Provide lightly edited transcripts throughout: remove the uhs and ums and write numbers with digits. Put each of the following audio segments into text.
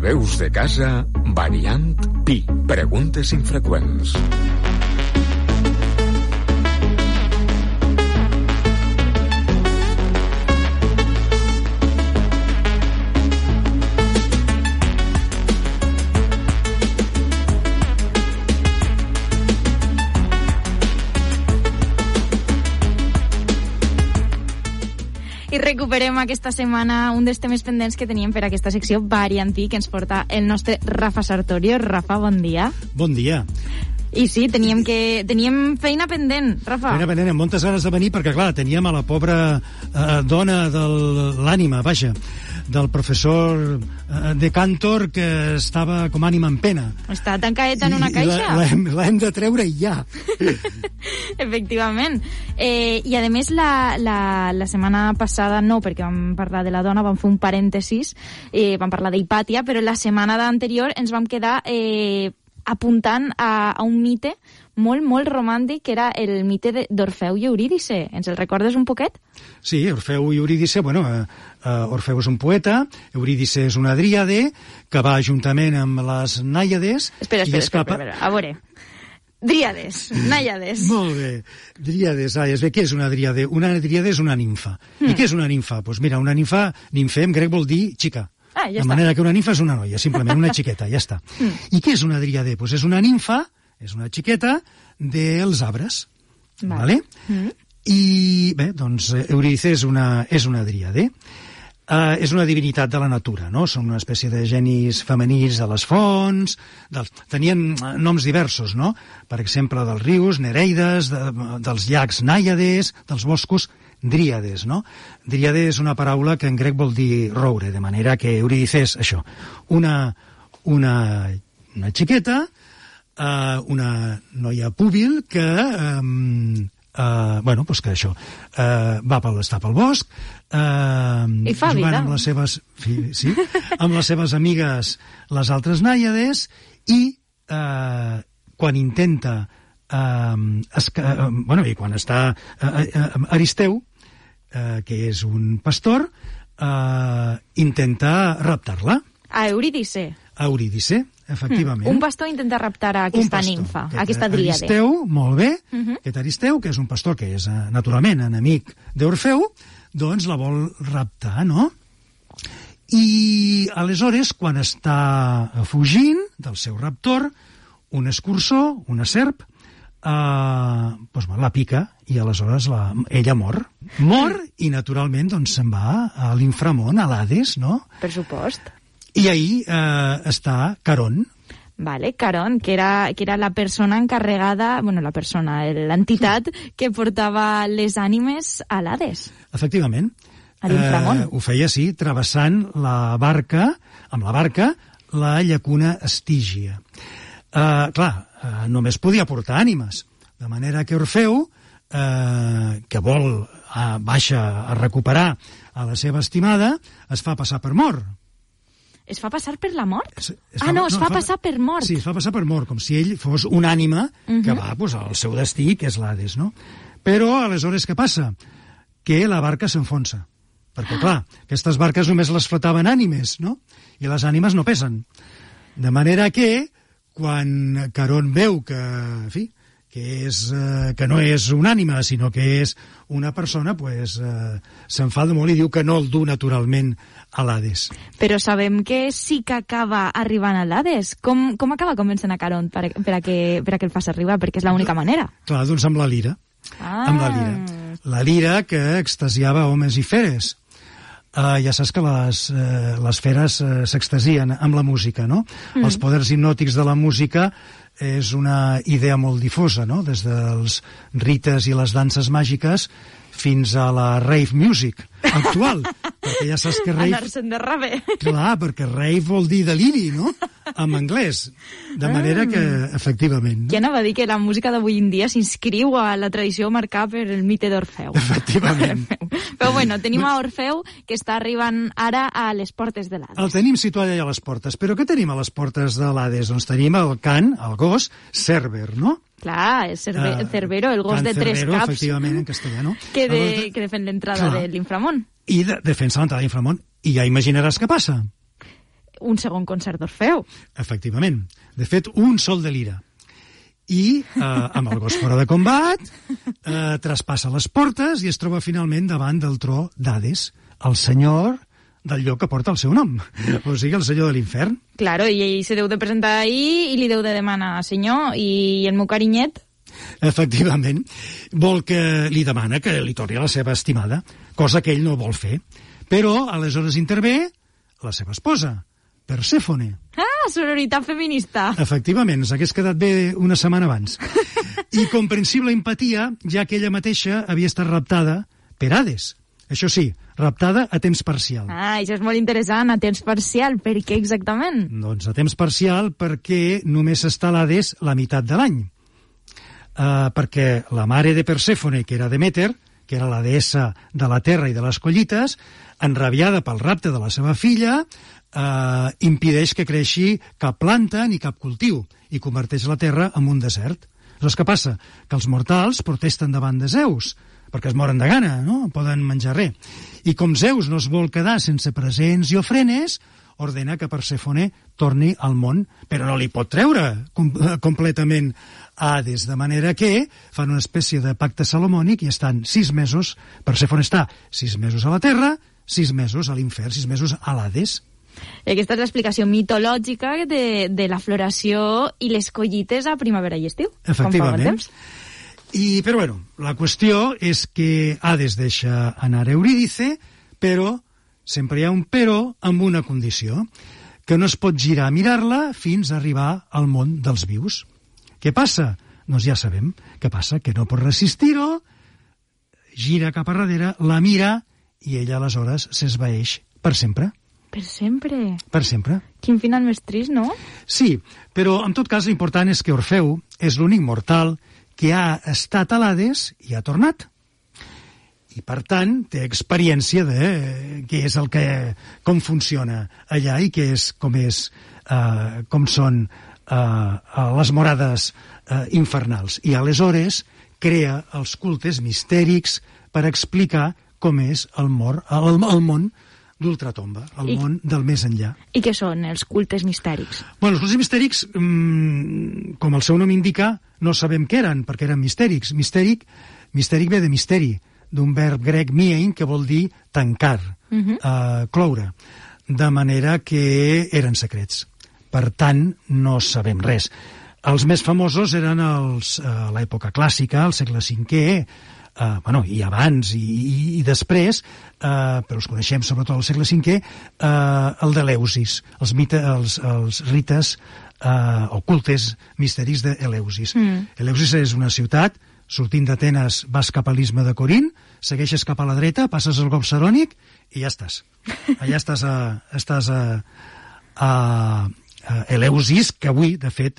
A Veus de Casa, variant Pi. Preguntes infreqüents. I recuperem aquesta setmana un dels temes pendents que teníem per aquesta secció variantí que ens porta el nostre Rafa Sartorio. Rafa, bon dia. Bon dia. I sí, teníem feina pendent, Rafa. Feina pendent, amb moltes ganes de venir, perquè, clar, teníem a la pobra dona de l'ànima, vaja, del professor de Cantor, que estava com ànima en pena. Està tancadeta en una caixa. L'hem de treure ja. Efectivament. I, a més, la setmana passada, no, perquè vam parlar de la dona, vam fer un parèntesis, vam parlar d'Hipàtia, però la setmana anterior ens vam quedar apuntant a un mite molt, molt romàntic, que era el mite d'Orfeu i Eurídice. Ens el recordes un poquet? Sí, Orfeu i Eurídice, bueno, Orfeu és un poeta, Eurídice és una dríade, que va juntament amb les nàiades... Espera, a veure... Dríades, nàiades. Molt bé, dríades, nàiades. Bé, què és una dríade? Una dríade és una nimfa. I què és una nimfa? Doncs mira, una nimfa, nimfe en grec vol dir xica. Ja de manera que una nimfa és una noia, simplement una xiqueta, ja està. I què és una dríade? Doncs és una nimfa, és una xiqueta dels arbres. Vale? I bé, doncs Eurídice és una dríade. És una divinitat de la natura, no? Són una espècie de genis femenins de les fonts, tenien noms diversos, no? Per exemple, dels rius, nereides, dels llacs nàiades, dels boscos, dríades, no? Dríade és una paraula que en grec vol dir roure, de manera que Eurídice és això, una xiqueta, una noia púbil que... bueno, doncs que això està pel bosc i fa vida amb les seves, sí, amb les seves amigues les altres nàiades i quan intenta i quan està Aristeu, que és un pastor, intenta raptar-la a Eurídice, efectivament. Un pastor intenta raptar a aquesta nimfa, a aquesta dríade. Aristeu, molt bé, aquest Aristeu, que és un pastor que és naturalment enemic d'Orfeu, doncs la vol raptar, no? I aleshores, quan està fugint del seu raptor, un escurçó, una serp, doncs la pica i aleshores ella mor. Mor i naturalment doncs se'n va a l'inframón, a l'Hades, no? Per supost. I ahí està Caron. Vale, Caron, que era la persona encarregada, bueno, l'entitat que portava les ànimes a l'Hades. Efectivament. A l'inframón. Ho feia, sí, travessant amb la barca, la llacuna Estígia. Clar, només podia portar ànimes, de manera que Orfeu, que baixa a recuperar a la seva estimada, es fa passar per mort. Es fa passar per la mort? Es fa passar per mort. Sí, es fa passar per mort, com si ell fos una ànima que va al seu destí, que és l'Hades, no? Però, aleshores, què passa? Que la barca s'enfonsa. Perquè, clar, aquestes barques només les flotaven ànimes, no? I les ànimes no pesen. De manera que, quan Caron veu que, en fi, que no és una ànima, sinó que és una persona, pues, s'enfada molt i diu que no el du naturalment a l'Hades. Però sabem que sí que acaba arribant a l'Hades. Com acaba convencent a Caron per a que el faci arribar? Perquè és l'única manera. Clar, doncs amb la lira. Amb la lira. La lira que extasiava homes i feres. Ja saps que les feres s'extasien amb la música, no? Els poders hipnòtics de la música és una idea molt difosa, no? Des dels rites i les danses màgiques fins a la rave music actual, perquè ja saps que rave... Anar-se'n de rave. Clar, perquè rave vol dir deliri, no? En anglès. De manera que, efectivament... Qui anava a dir que la música d'avui en dia s'inscriu a la tradició marcada per el mite d'Orfeu. Efectivament. Però bueno, tenim a Orfeu, que està arribant ara a les portes de l'Hades. El tenim situat allà a les portes. Però què tenim a les portes de l'Hades? Doncs tenim el can, el gos, Cerber, no? Clar, el Cerbero, el gos de tres caps. Efectivament, en castellà, no? Que defen l'entrada de l'inframón. I defensa l'entrada de l'inframón. I ja imaginaràs què passa. un segon concert d'Orfeu. Efectivament. De fet, un sol de lira. I, amb el gos fora de combat, traspassa les portes i es troba finalment davant del tro d'Hades, el senyor del lloc que porta el seu nom, o sigui, el senyor de l'infern. Claro, i ell se deu de presentar ahir i li deu de demanar, senyor, i el meu carinyet? Efectivament, vol que li demana que li torni a la seva estimada, cosa que ell no vol fer. Però, aleshores intervé la seva esposa, Persèfone. Ah, sororitat feminista. Efectivament, s'hagués quedat bé una setmana abans. I comprensible empatia, ja que ella mateixa havia estat raptada per Hades. Això sí, raptada a temps parcial. Ah, això és molt interessant, a temps parcial. Per què exactament? Doncs a temps parcial perquè només està l'Hades la meitat de l'any. Perquè la mare de Persèfone, que era Deméter, que era la deessa de la terra i de les collites, enrabiada pel rapte de la seva filla, impedeix que creixi cap planta ni cap cultiu i converteix la terra en un desert. Aleshores, què passa? Que els mortals protesten davant de Zeus, perquè es moren de gana, no poden menjar res. I com Zeus no es vol quedar sense presents i ofrenes, ordena que Persèfone torni al món, però no li pot treure completament a Hades, de manera que fan una espècie de pacte salomònic i estan 6 mesos, Persèfone està 6 mesos a la Terra, 6 mesos a l'infern, 6 mesos a l'Hades. I aquesta és l'explicació mitològica de la floració i les collites a primavera i estiu. Efectivament. Però bueno, la qüestió és que Hades deixa anar Eurídice, però sempre hi ha un però amb una condició, que no es pot girar a mirar-la fins a arribar al món dels vius. Què passa? Doncs ja sabem què passa, que no pot resistir-ho, gira cap a darrere, la mira i ella aleshores s'esvaeix per sempre. Per sempre? Per sempre. Quin final més trist, no? Sí, però en tot cas l'important és que Orfeu és l'únic mortal que ha estat a l'Hades i ha tornat. I, per tant, té experiència de què és com funciona allà i com són les morades infernals. I aleshores crea els cultes mistèrics per explicar com és el món d'Ultratomba, el món del més enllà. I què són els cultes mistèrics? Bueno, els cultes mistèrics, com el seu nom indica, no sabem què eren, perquè eren mistèrics. Mistèric ve de misteri, d'un verb grec miein, que vol dir tancar, cloure, de manera que eren secrets. Per tant, no sabem res. Els més famosos eren a l'època clàssica, al segle V, i abans i després, però els coneixem sobretot al segle V, el d'Eleusis, els rites o cultes mistèrics d'Eleusis. Eleusis és una ciutat, sortint d'Atenes vas cap a l'istme de Corint, segueixes cap a la dreta, passes el golf Sarònic i ja estàs. Allà estàs a Eleusis, que avui, de fet,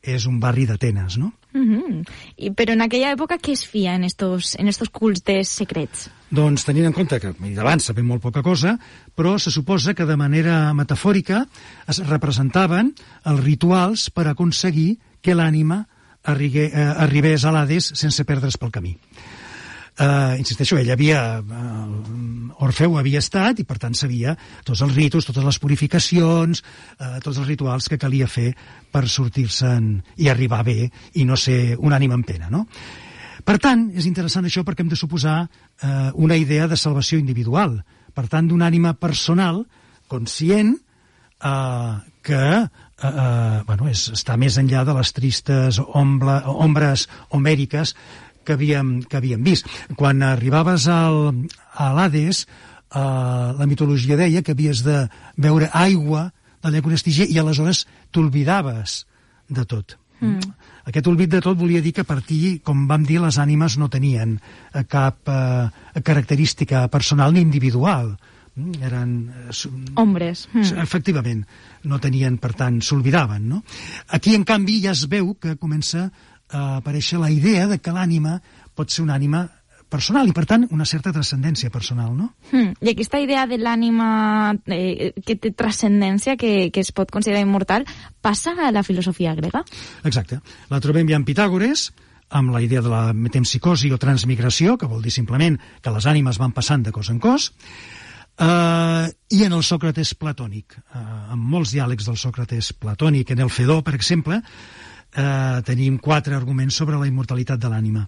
és un barri d'Atenes, no? Però en aquella època què es feia en estos cultes secrets? Doncs tenint en compte que d'abans sabem molt poca cosa, però se suposa que de manera metafòrica es representaven els rituals per aconseguir que l'ànima arribés a l'Hades sense perdre's pel camí. Insisteixo, Orfeu havia estat i per tant sabia tots els ritus, totes les purificacions, tots els rituals que calia fer per sortir-se'n i arribar bé i no ser un ànima en pena, no? Per tant, és interessant això perquè hem de suposar una idea de salvació individual, per tant d'una ànima personal conscient que està més enllà de les tristes ombres homèriques que havíem vist. Quan arribaves a l'Hades, la mitologia deia que havies de beure aigua del llac Onestiger i aleshores t'olvidaves de tot. Aquest olvid de tot volia dir que per ti, com vam dir, les ànimes no tenien cap característica personal ni individual. Eren ombres. Efectivament, no tenien, per tant, s'olvidaven, no? Aquí, en canvi, ja es veu que comença a aparèixer la idea de que l'ànima pot ser una ànima personal i, per tant, una certa transcendència personal, no? I aquesta idea de l'ànima que té transcendència, que es pot considerar immortal, passa a la filosofia grega? Exacte. La trobem ja en Pitàgores, amb la idea de la metempsicosi o transmigració, que vol dir simplement que les ànimes van passant de cos en cos, i en el Sòcrates platònic. En molts diàlegs del Sòcrates platònic, en el Fedó, per exemple, tenim 4 arguments sobre la immortalitat de l'ànima.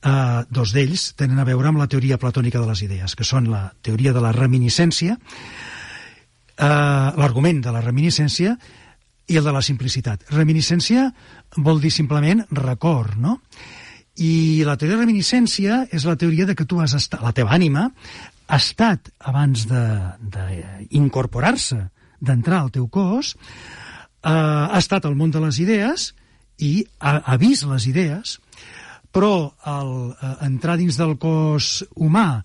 2 d'ells tenen a veure amb la teoria platònica de les idees, que són la teoria de la reminiscència, l'argument de la reminiscència i el de la simplicitat. Reminiscència vol dir simplement record, no? I la teoria de reminiscència és la teoria de que tu has estat, la teva ànima ha estat, abans d'incorporar-se, d'entrar al teu cos, ha estat al món de les idees i ha vist les idees, però al entrar dins del cos humà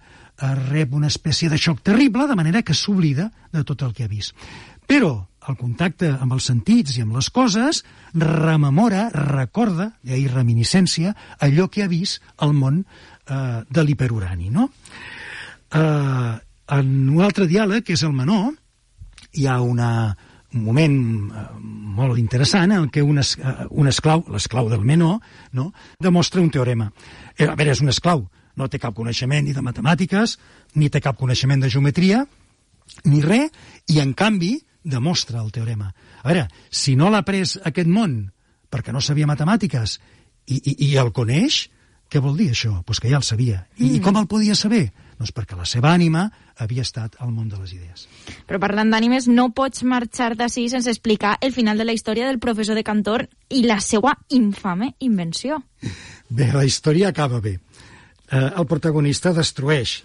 rep una espècie de xoc terrible, de manera que s'oblida de tot el que ha vist. Però el contacte amb els sentits i amb les coses rememora, recorda, i reminiscència, allò que ha vist al món de l'hiperurani, no? En un altre diàleg, que és el menor, hi ha un moment molt interessant en què un esclau, l'esclau del menor, no, demostra un teorema. A veure, és un esclau, no té cap coneixement ni de matemàtiques, ni té cap coneixement de geometria, ni res, i en canvi demostra el teorema. A veure, si no l'ha pres aquest món perquè no sabia matemàtiques i el coneix, què vol dir això? Doncs que ja el sabia. I com el podia saber? Doncs perquè la seva ànima havia estat al món de les idees. Però parlant d'ànimes, no pots marxar d'ací sense explicar el final de la història del professor de Cantor i la seva infame invenció. Bé, la història acaba bé. El protagonista destrueix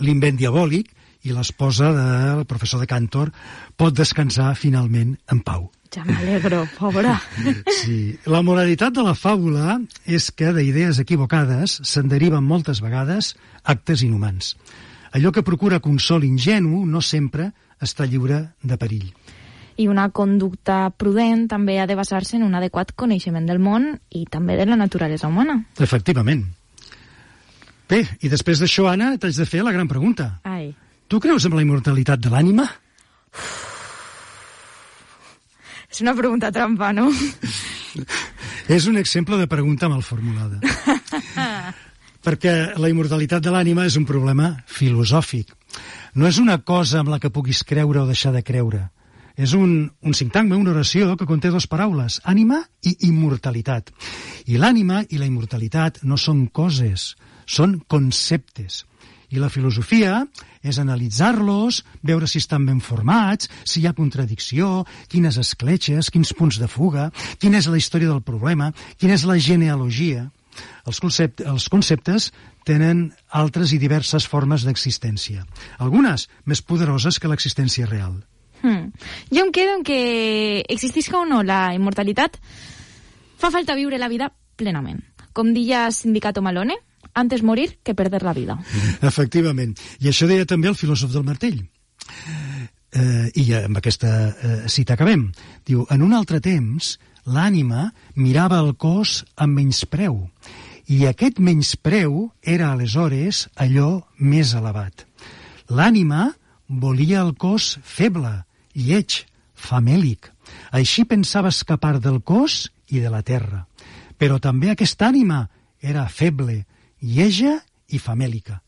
l'invent diabòlic i l'esposa del professor de Cantor pot descansar finalment en pau. Ja m'alegro, pobra. Sí. La moralitat de la fàbula és que d'idees equivocades se'n deriven moltes vegades actes inhumans. Allò que procura consol ingenu no sempre està lliure de perill. I una conducta prudent també ha de basar-se en un adequat coneixement del món i també de la naturalesa humana. Efectivament. Bé, i després d'això, Anna, t'haig de fer la gran pregunta. Ai. Tu creus en la immortalitat de l'ànima? És una pregunta trampa, no? És un exemple de pregunta mal formulada. Perquè la immortalitat de l'ànima és un problema filosòfic. No és una cosa amb la que puguis creure o deixar de creure. És un sintagma, una oració que conté 2 paraules, ànima i immortalitat. I l'ànima i la immortalitat no són coses, són conceptes. I la filosofia és analitzar-los, veure si estan ben formats, si hi ha contradicció, quines escletxes, quins punts de fuga, quina és la història del problema, quina és la genealogia. Els conceptes tenen altres i diverses formes d'existència, algunes més poderoses que l'existència real. Jo em quedo en que existisca o no la immortalitat, fa falta viure la vida plenament. Com deia Sindicato Malone, antes morir que perder la vida. Efectivament. I això deia també el filòsof del martell. I amb aquesta cita acabem. Diu, en un altre temps, l'ànima mirava el cos amb menyspreu, i aquest menyspreu era aleshores allò més elevat. L'ànima volia el cos feble, lleig, famèlic. Així pensava escapar del cos i de la terra. Però també aquesta ànima era feble, lleja i famèlica.